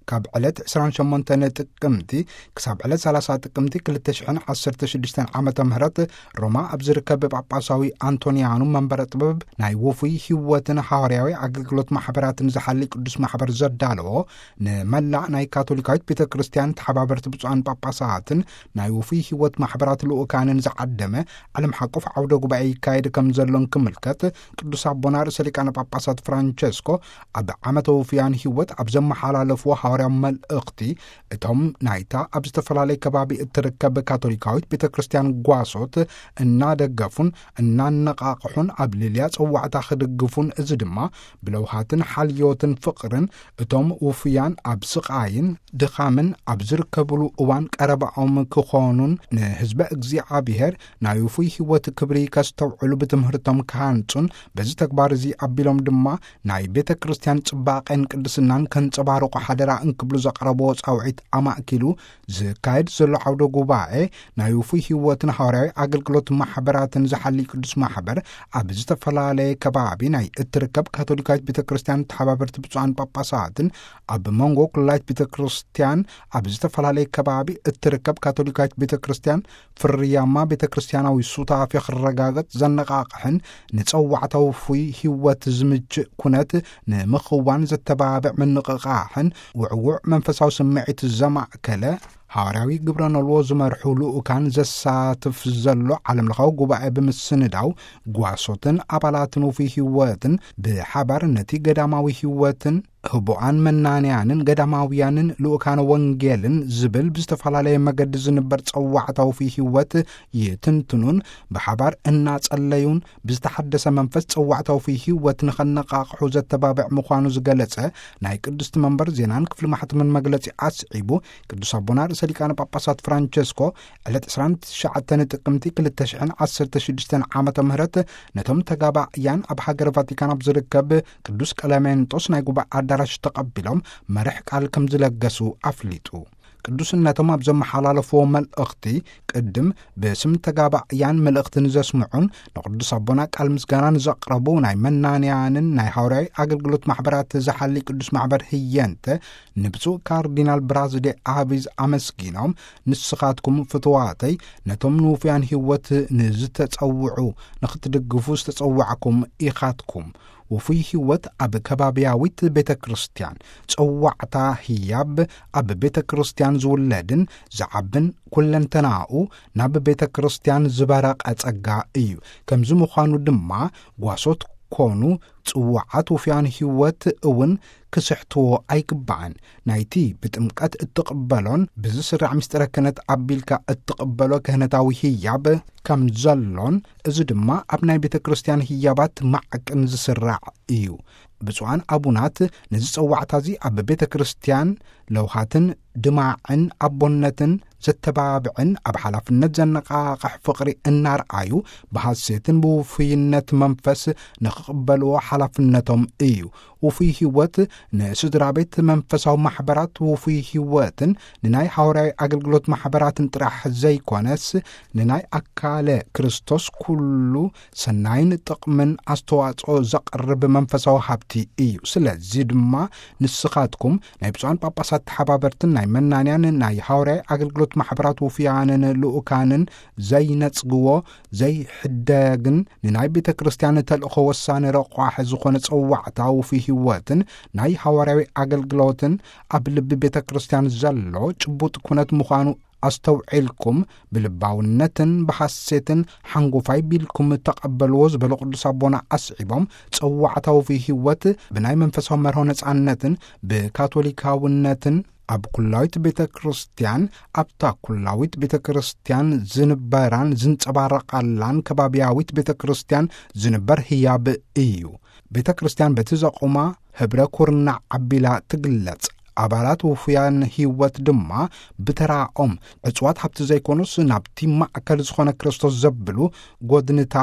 ካብ ዕለት ዕስራን ሸሞንተን ጥቅምቲ ክሳብ ዕለት ሰላሳ ጥቅምቲ ክልተ ሽሕን ዓሰርተ ሽዱሽተን ዓመተ ምህረት ሮማ ኣብ ዝርከብ ጳጳሳዊ ኣንቶንያኑ መንበረ ጥበብ ናይ ውፉይ ህይወትን ሃዋርያዊ ኣገልግሎት ማሕበራትን ዝሓሊ ቅዱስ ማሕበር ዘዳለዎ፣ ንመላእ ናይ ካቶሊካዊት ቤተ ክርስቲያን ተሓባበርቲ ብፁዓን ጳጳሳትን ናይ ውፉይ ህይወት ማሕበራት ልኡካንን ዝዓደመ ዓለም ሓቆፍ ዓውደ ጉባኤ ይካየድ ከም ዘሎን ክምልከት፣ ቅዱስ ኣቦና ርእሰ ሊቃነ ጳጳሳት ፍራንቸስኮ ኣብ ዓመተ ውፉያን ህይወት ኣብ ዘመሓላለፍዎ ሃዋርያዊ መልእኽቲ፣ እቶም ናይታ ኣብ ዝተፈላለየ ከባቢ እትርከብ ካቶሊካዊት ቤተ ክርስቲያን ጓሶት እናደገፉን እናነቓቕሑን ኣብ ልልያ ጸዋዕታ ክድግፉን፣ እዚ ድማ ብለውሃትን ሓልዮትን ፍቕርን እቶም ውፉያን ኣብ ስቓይን ድኻምን ኣብ ዝርከብሉ እዋን ቀረባኦም ክኾኑን፣ ንህዝበ እግዚኣብሔር ናይ ውፉይ ህይወት ክብሪ ከስተውዕሉ ብትምህርቶም ክሃንጹን፣ በዚ ተግባር እዚ ኣቢሎም ድማ ናይ ቤተ ክርስቲያን ጽባቐን ቅድስናን ከንጸባርቑ ሓደራ እንክብሉ ዘቕረብዎ ጻውዒት ኣማእኪሉ ዝካየድ ዘሎ ዓውደ ጉባኤ ናይ ውፉይ ህይወትን ሃዋርያዊ ኣገልግሎት ማሕበራትን ዝሓሊ ቅዱስ ማሕበር ኣብ ዝተፈላለየ ከባቢ ናይ እትርከብ ካቶሊካዊት ቤተ ክርስቲያን ተሓባበርቲ ብፁዓን ጳጳሳትን ኣብ መንጎ ኩላይት ቤተ ክርስቲያን ኣብ ዝተፈላለየ ከባቢ እትርከብ ካቶሊካዊት ቤተ ክርስቲያን ፍርያማ ቤተ ክርስቲያናዊ ሱታፌ ክረጋገጽ ዘነቓቕሕን ንጸዋዕታ ውፉይ ህይወት ዝምችእ ኩነት ንምኽዋን ዘተባብዕ ምንቕቓሕን ውዕዉዕ መንፈሳዊ ስምዒት ዘማእከለ ሃዋርያዊ ግብረ ነልዎ ዝመርሑ ልኡካን ዘሳትፍ ዘሎ ዓለምለኻዊ ጉባኤ ብምስንዳው፣ ጓሶትን ኣባላትን ውፉይ ህይወትን ብሓባር ነቲ ገዳማዊ ህይወትን ህቡኣን መናንያንን ገዳማውያንን ልኡካነ ወንጌልን ዝብል ብዝተፈላለየ መገዲ ዝንበር ጸዋዕታ ውፉይ ህይወት ይትንትኑን ብሓባር እናጸለዩን ብዝተሓደሰ መንፈስ ጸዋዕታ ውፉይ ህይወት ንኸነቓቕሑ ዘተባብዕ ምዃኑ ዝገለጸ ናይ ቅድስቲ መንበር ዜናን ክፍሊ ማሕተምን መግለጺ ኣስዒቡ፣ ቅዱስ ኣቦና ርእሰ ሊቃነ ጳጳሳት ፍራንቸስኮ ዕለት ዕስራን ትሽዓተን ጥቅምቲ ክልተ ሽሕን ዓሰርተ ሽዱሽተን ዓመተ ምህረት ነቶም ተጋባእያን ኣብ ሃገር ቫቲካን ኣብ ዝርከብ ቅዱስ ቀለሜንጦስ ናይ ጉባኤ ኣዳራሽ ተቐቢሎም መርሕ ቃል ከም ዝለገሱ ኣፍሊጡ። ቅዱስነቶም ኣብ ዘመሓላለፍዎ መልእኽቲ፣ ቅድም ብስም ተጋባእያን መልእኽቲ ንዘስምዑን ንቅዱስ ኣቦና ቃል ምስጋና ንዘቕረቡ ናይ መናንያንን ናይ ሃዋርያዊ ኣገልግሎት ማሕበራት ዝሓሊ ቅዱስ ማሕበር ህየንተ ንብፁዕ ካርዲናል ብራዝዴ ኣቢዝ ኣመስጊኖም፣ ንስኻትኩም ፍትዋተይ ነቶም ንውፉያን ህይወት ንዝተጸውዑ ንኽትድግፉ ዝተጸዋዕኩም ኢኻትኩም። ውፉይ ህይወት ኣብ ከባብያዊት ቤተ ክርስቲያን፣ ጸዋዕታ ህያብ ኣብ ቤተ ክርስቲያን ዝውለድን ዝዓብን፣ ኩለንተናኡ ናብ ቤተ ክርስቲያን ዝበረቐ ጸጋ እዩ። ከምዚ ምዃኑ ድማ ጓሶት ኮኑ ጽዋዓት ውፉያን ህይወት እውን ክስሕትዎ ኣይግባእን። ናይቲ ብጥምቀት እትቕበሎን ብዝስራዕ ምስጢረ ክህነት ኣቢልካ እትቕበሎ ክህነታዊ ህያብ ከም ዘሎን፣ እዚ ድማ ኣብ ናይ ቤተ ክርስቲያን ህያባት ማዕቅን ዝስራዕ እዩ። ብፁዓን ኣቡናት ነዚ ጸዋዕታ እዚ ኣብ ቤተ ክርስቲያን ለውሃትን ድማዕን ኣቦነትን ዘተባብዕን ኣብ ሓላፍነት ዘነቓቕሕ ፍቕሪ እናርኣዩ ብሃሴትን ብውፉይነት መንፈስ ንኽቕበልዎ ሓላፍነቶም እዩ። ውፉይ ህይወት ንስድራ ቤት መንፈሳዊ ማሕበራት ውፉይ ህይወትን ንናይ ሃዋርያዊ ኣገልግሎት ማሕበራትን ጥራሕ ዘይኮነስ ንናይ ኣካለ ክርስቶስ ኩሉ ሰናይን ጥቕምን ኣስተዋጽኦ ዘቕርብ መንፈሳዊ ሃብቲ እዩ። ስለዚ ድማ ንስኻትኩም ናይ ብፁዓን ጳጳሳት ተሓባበርትን ናይ መናንያን ናይ ሃዋርያዊ ኣገልግሎት ማሕበራት ውፉያንን ልኡካንን ዘይነጽግዎ ዘይሕደግን ንናይ ቤተ ክርስቲያን ተልእኾ ወሳኒ ረቋሒ ዝኾነ ጸዋዕታ ውፉይ ህይወትን ናይ ሃዋርያዊ ኣገልግሎትን ኣብ ልቢ ቤተ ክርስቲያን ዘሎ ጭቡጥ ኩነት ምዃኑ ኣስተውዒልኩም ብልባውነትን ብሓሴትን ሓንጎፋይ ቢልኩም ተቐበልዎ ዝበሉ ቅዱስ ኣቦና ኣስዒቦም፣ ጸዋዕታ ውፉይ ህይወት ብናይ መንፈሳዊ መርሆ ነጻነትን ብካቶሊካውነትን ኣብ ኩላዊት ቤተ ክርስቲያን፣ ኣብታ ኩላዊት ቤተ ክርስቲያን ዝንበራን ዝንጸባረቓላን ከባብያዊት ቤተ ክርስቲያን ዝንበር ህያብ እዩ። ቤተ ክርስቲያን በቲ ዘቑማ ህብረ ኩርናዕ ኣቢላ ትግለጽ። ኣባላት ውፉያን ህይወት ድማ ብተራኦም ዕጽዋት ሃብቲ ዘይኮኑስ ናብቲ ማእከል ዝኾነ ክርስቶስ ዘብሉ ጎድንታ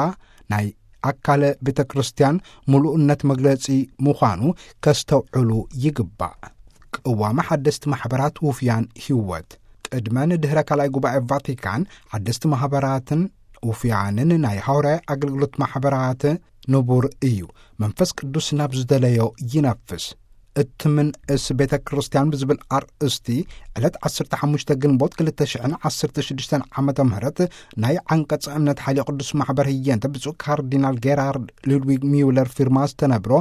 ናይ ኣካለ ቤተ ክርስቲያን ምሉእነት መግለጺ ምዃኑ ከስተውዕሉ ይግባእ። ቅዋመ ሓደስቲ ማሕበራት ውፉያን ህይወት። ቅድመ ንድህረ ካልኣይ ጉባኤ ቫቲካን ሓደስቲ ማሕበራትን ውፉያንን ናይ ሃዋርያዊ ኣገልግሎት ማሕበራት ንቡር እዩ። መንፈስ ቅዱስ ናብ ዝደለዮ ይነፍስ። እትምንእስ ቤተ ክርስቲያን ብዝብል ኣርእስቲ ዕለት ዓሰርተ ሓሙሽተ ግንቦት ክልተ ሽሕን ዓሰርተ ሽዱሽተን ዓመተ ምህረት ናይ ዓንቀጸ እምነት ሓይሊ ቅዱስ ማሕበር ህየንተ ብፁዕ ካርዲናል ጌራርድ ሉድዊግ ሚውለር ፊርማ ዝተነብሮ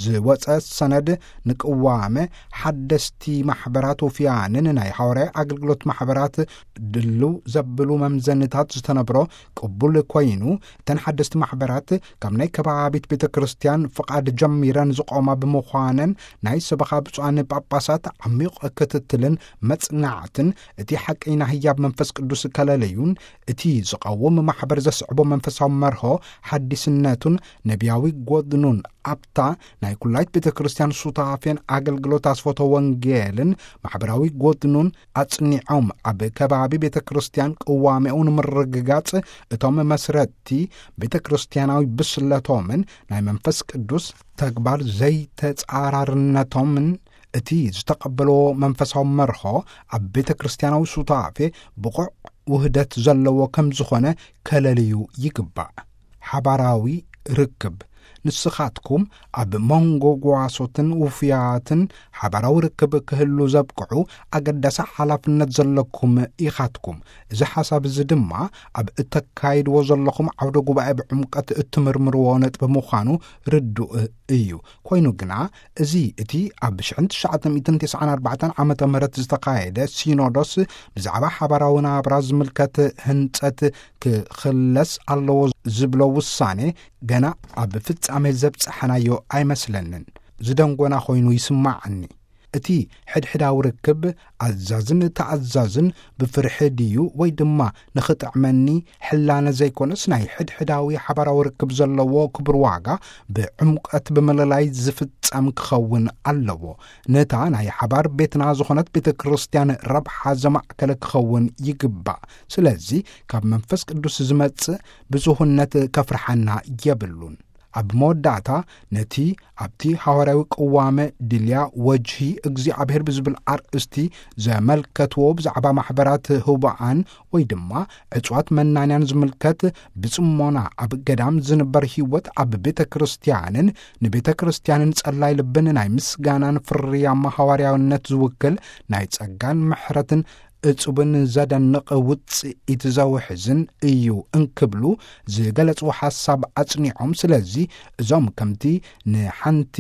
ዝወጸ ሰነድ ንቅዋመ ሓደስቲ ማሕበራት ውፍያንን ናይ ሃዋርያዊ ኣገልግሎት ማሕበራት ድልው ዘብሉ መምዘንታት ዝተነብሮ ቅቡል ኮይኑ፣ እተን ሓደስቲ ማሕበራት ካብ ናይ ከባቢት ቤተ ክርስቲያን ፍቓድ ጀሚረን ዝቆማ ብምዃነን ናይ ሰበኻ ብፁዓን ጳጳሳት ዓሚቕ ክትትልን መጽናዕትን እቲ ሓቀይና ህያብ መንፈስ ቅዱስ ከለለዩን እቲ ዝቐውም ማሕበር ዘስዕቦ መንፈሳዊ መርሆ ሓዲስነቱን ነቢያዊ ጎድኑን ኣብታ ናይ ኩላይት ቤተ ክርስቲያን ሱታፌን ኣገልግሎት ኣስፎቶ ወንጌልን ማሕበራዊ ጎድኑን ኣጽኒዖም ኣብ ከባቢ ቤተ ክርስቲያን ቅዋሜኡ ንምርግጋጽ እቶም መስረቲ ቤተ ክርስቲያናዊ ብስለቶምን ናይ መንፈስ ቅዱስ ተግባር ዘይተጻራርነቶምን እቲ ዝተቐበልዎ መንፈሳዊ መርሆ ኣብ ቤተ ክርስቲያናዊ ሱታፌ ብቑዕ ውህደት ዘለዎ ከም ዝኾነ ከለልዩ ይግባእ። ሓባራዊ ርክብ። ንስኻትኩም ኣብ መንጎ ጓሶትን ውፍያትን ሓባራዊ ርክብ ክህሉ ዘብቅዑ ኣገዳሲ ሓላፍነት ዘለኩም ኢኻትኩም። እዚ ሓሳብ እዚ ድማ ኣብ እተካይድዎ ዘለኹም ዓውደ ጉባኤ ብዕምቀት እትምርምርዎ ነጥቢ ምዃኑ ርዱእ እዩ። ኮይኑ ግና፣ እዚ እቲ ኣብ ሽሕን ትሽዓተ ሚእትን ተስዓን ኣርባዕተን ዓመተ ምህረት ዝተኻየደ ሲኖዶስ ብዛዕባ ሓባራዊ ናብራ ዝምልከት ህንጸት ክኽለስ ኣለዎ ዝብሎ ውሳኔ ገና ኣብ ፍጻሜ ዘብጽሐናዮ ኣይመስለንን። ዝደንጎና ኮይኑ ይስማዓኒ። እቲ ሕድሕዳዊ ርክብ ኣዛዝን ተኣዛዝን ብፍርሒ ድዩ ወይ ድማ ንኽጥዕመኒ ሕላነ ዘይኮነስ ናይ ሕድሕዳዊ ሓባራዊ ርክብ ዘለዎ ክቡር ዋጋ ብዕምቀት ብምልላይ ዝፍጸም ክኸውን ኣለዎ። ነታ ናይ ሓባር ቤትና ዝኾነት ቤተ ክርስቲያን ረብሓ ዘማእከለ ክኸውን ይግባእ። ስለዚ ካብ መንፈስ ቅዱስ ዝመጽእ ብዙህነት ከፍርሓና የብሉን። ኣብ መወዳእታ ነቲ ኣብቲ ሃዋርያዊ ቅዋመ ድልያ ወጅሂ እግዚኣብሔር ብዝብል ኣርእስቲ ዘመልከትዎ ብዛዕባ ማሕበራት ህቡኣን ወይ ድማ ዕጽዋት መናንያን ዝምልከት ብጽሞና ኣብ ገዳም ዝንበር ህይወት ኣብ ቤተ ክርስቲያንን ንቤተ ክርስቲያንን ጸላይ ልብን ናይ ምስጋናን ፍርያማ ሃዋርያውነት ዝውክል ናይ ጸጋን ምሕረትን እጹብን ዘደንቕ ውጽኢት ዘውሕዝን እዩ እንክብሉ ዝገለጽዎ ሓሳብ ኣጽኒዖም፣ ስለዚ እዞም ከምቲ ንሓንቲ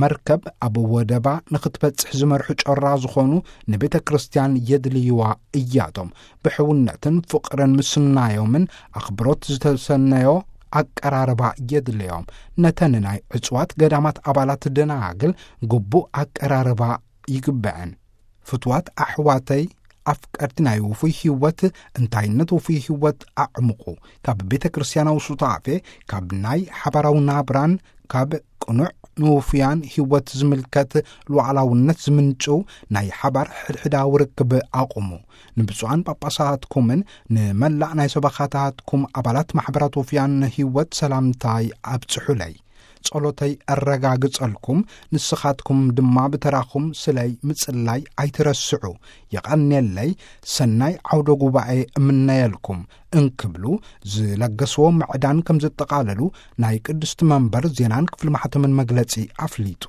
መርከብ ኣብ ወደባ ንኽትበጽሕ ዝመርሑ ጮራ ዝኾኑ ንቤተ ክርስቲያን የድልይዋ እያቶም። ብሕውነትን ፍቕርን ምስናዮምን ኣኽብሮት ዝተሰነዮ ኣቀራርባ የድልዮም። ነተን ናይ ዕጽዋት ገዳማት ኣባላት ደናግል ግቡእ ኣቀራርባ ይግበዐን። ፍትዋት ኣሕዋተይ ኣፍቀርቲ ናይ ውፉይ ህይወት፣ እንታይነት ውፉይ ህይወት ኣዕምቑ። ካብ ቤተ ክርስቲያናዊ ሱታፌ፣ ካብ ናይ ሓባራዊ ናብራን ካብ ቅኑዕ ንውፉያን ህይወት ዝምልከት ሉዓላውነት ዝምንጭው ናይ ሓባር ሕድሕዳዊ ርክብ ኣቑሙ። ንብፁዓን ጳጳሳትኩምን ንመላእ ናይ ሰበኻታትኩም ኣባላት ማሕበራት ውፉያን ህይወት ሰላምታይ ኣብጽሑለይ። ጸሎተይ ኣረጋግጸልኩም፣ ንስኻትኩም ድማ ብተራኹም ስለይ ምጽላይ ኣይትረስዑ። የቐንየለይ፣ ሰናይ ዓውደ ጉባኤ እምነየልኩም እንክብሉ ዝለገስዎ ምዕዳን ከም ዘጠቓለሉ ናይ ቅድስቲ መንበር ዜናን ክፍሊ ማሕተምን መግለጺ ኣፍሊጡ።